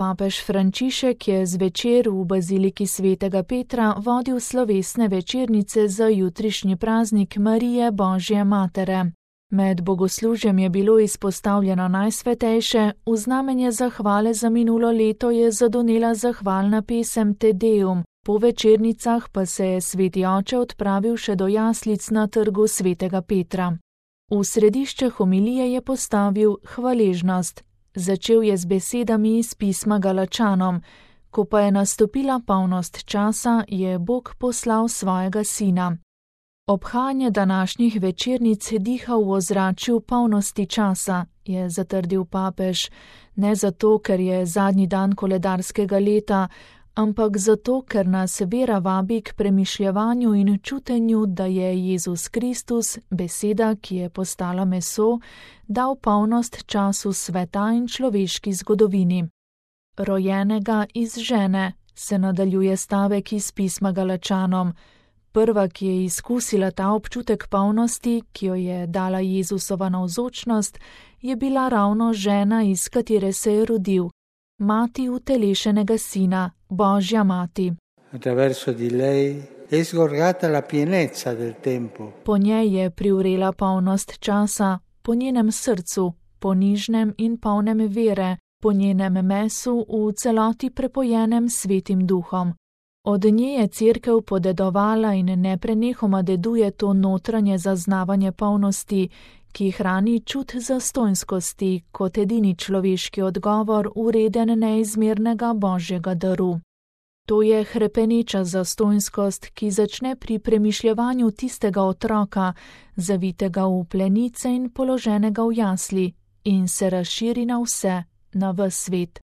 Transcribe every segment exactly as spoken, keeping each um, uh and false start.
Papež Frančišek je zvečer v baziliki svetega Petra vodil slovesne večernice za jutrišnji praznik Marije Božje Matere. Med bogoslužjem je bilo izpostavljeno najsvetejše, v znamenje zahvale za minulo leto je zadonela zahvalna pesem Te Deum, po večernicah pa se je sveti oče odpravil še do jaslic na trgu svetega Petra. V središče homilije je postavil hvaležnost. Začel je z besedami iz pisma Galačanom: Ko pa je nastopila polnost časa, je Bog poslal svojega sina. Obhajanje današnjih večernic diha v ozračju polnosti časa, je zatrdil papež, ne zato, ker je zadnji dan koledarskega leta, ampak zato, ker nas vera vabi k premišljevanju in čutenju, da je Jezus Kristus, beseda, ki je postala meso, dal polnost času sveta in človeški zgodovini. Rojenega iz žene, se nadaljuje stavek iz pisma Galačanom. Prva, ki je izkusila ta občutek polnosti, ki jo je dala Jezusova navzočnost, je bila ravno žena, iz katere se je rodil, mati utelešenega sina, Božja mati. Attraverso di lei è sgorgata la pienezza del tempo. Po njej je privrela polnost časa, po njenem srcu, ponižnem in polnem vere, po njenem mesu v celoti prepojenem svetim duhom. Od nje je cerkev podedovala in neprenehoma deduje to notranje zaznavanje polnosti, ki hrani čut zastonjskosti kot edini človeški odgovor vreden neizmernega Božjega daru. To je hrepeneča zastonjskost, ki začne pri premišljevanju tistega otroka, zavitega v plenice in položenega v jasli, in se razširi na vse, na ves svet.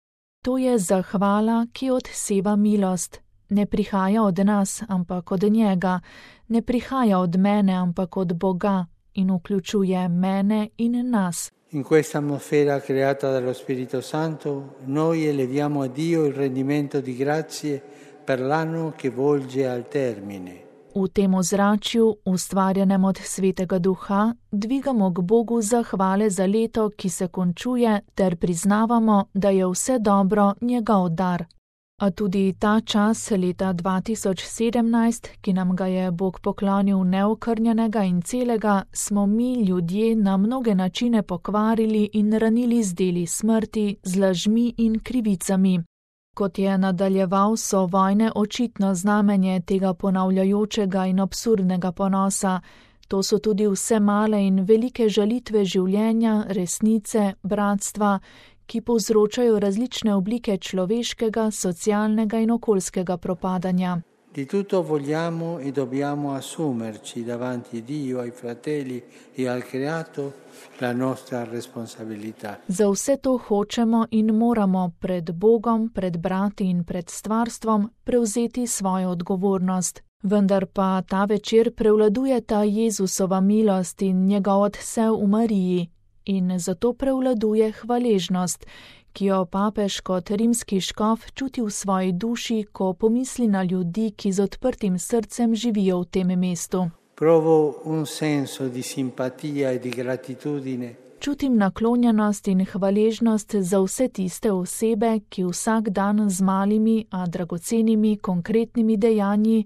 To je zahvala, ki odseva milost. Ne prihaja od nas, ampak od njega, ne prihaja od mene, ampak od Boga in vključuje mene in nas. In questa atmosfera creata dallo Spirito Santo, noi eleviamo a Dio il rendimento di grazie per l'anno che volge al termine. V tem ozračju, ustvarjenem od Svetega Duha, dvigamo k Bogu zahvale za leto, ki se končuje, ter priznavamo, da je vse dobro njegov dar. A tudi ta čas leta dva tisoč sedemnajst, ki nam ga je Bog poklonil neokrnjenega in celega, smo mi ljudje na mnoge načine pokvarili in ranili z deli smrti, z lažmi in krivicami. Kot je nadaljeval, so vojne očitno znamenje tega ponavljajočega in absurdnega ponosa. To so tudi vse male in velike žalitve življenja, resnice, bratstva, ki povzročajo različne oblike človeškega, socialnega in okoljskega propadanja. Di tutto vogliamo e dobbiamo assumerci davanti a Dio, ai fratelli e al creato la nostra responsabilità. Za vse to hočemo in moramo pred Bogom, pred brati in pred stvarstvom prevzeti svojo odgovornost. Vendar pa ta večer prevladuje ta Jezusova milost in njegov odsev v Mariji. In zato prevladuje hvaležnost, ki jo papež kot rimski škof čuti v svoji duši, ko pomisli na ljudi, ki z odprtim srcem živijo v tem mestu. Provo un senso di simpatia e di gratitudine. Čutim naklonjenost in hvaležnost za vse tiste osebe, ki vsak dan z malimi, a dragocenimi, konkretnimi dejanji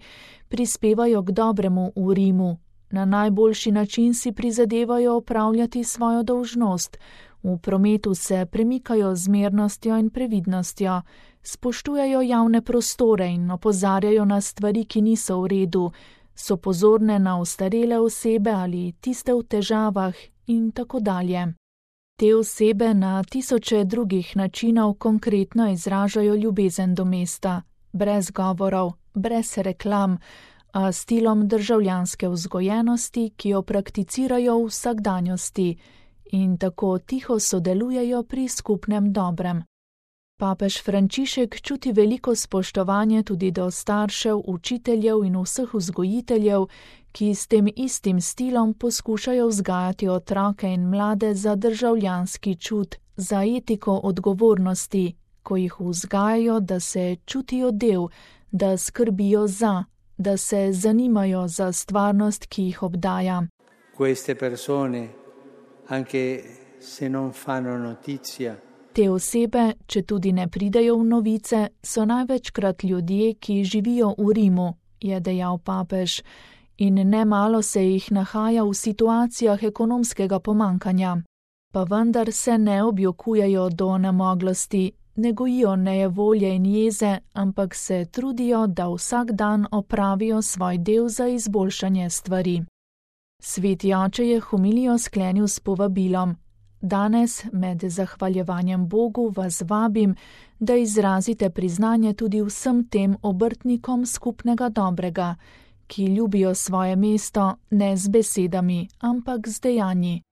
prispevajo k dobremu v Rimu. Na najboljši način si prizadevajo opravljati svojo dolžnost, v prometu se premikajo z mirnostjo in previdnostjo, spoštujejo javne prostore in opozarjajo na stvari, ki niso v redu, so pozorne na ostarele osebe ali tiste v težavah in tako dalje. Te osebe na tisoče drugih načinov konkretno izražajo ljubezen do mesta, brez govorov, brez reklam, a stilom državljanske vzgojenosti, ki jo prakticirajo v vsakdanjosti in tako tiho sodelujejo pri skupnem dobrem. Papež Frančišek čuti veliko spoštovanje tudi do staršev, učiteljev in vseh vzgojiteljev, ki s tem istim stilom poskušajo vzgajati otroke in mlade za državljanski čut, za etiko odgovornosti, ko jih vzgajajo, da se čutijo del, da skrbijo za, da se zanimajo za stvarnost, ki jih obdaja. Queste persone, anche se non fanno notizia, Te osebe, če tudi ne pridejo v novice, so največkrat ljudje, ki živijo v Rimu, je dejal papež, in nemalo se jih nahaja v situacijah ekonomskega pomankanja. Pa vendar se ne objokujejo do onemoglosti, ne gojijo nejevolje in jeze, ampak se trudijo, da vsak dan opravijo svoj del za izboljšanje stvari. Sveti oče je homilijo sklenil s povabilom: Danes med zahvaljevanjem Bogu vas vabim, da izrazite priznanje tudi vsem tem obrtnikom skupnega dobrega, ki ljubijo svoje mesto ne z besedami, ampak z dejanji.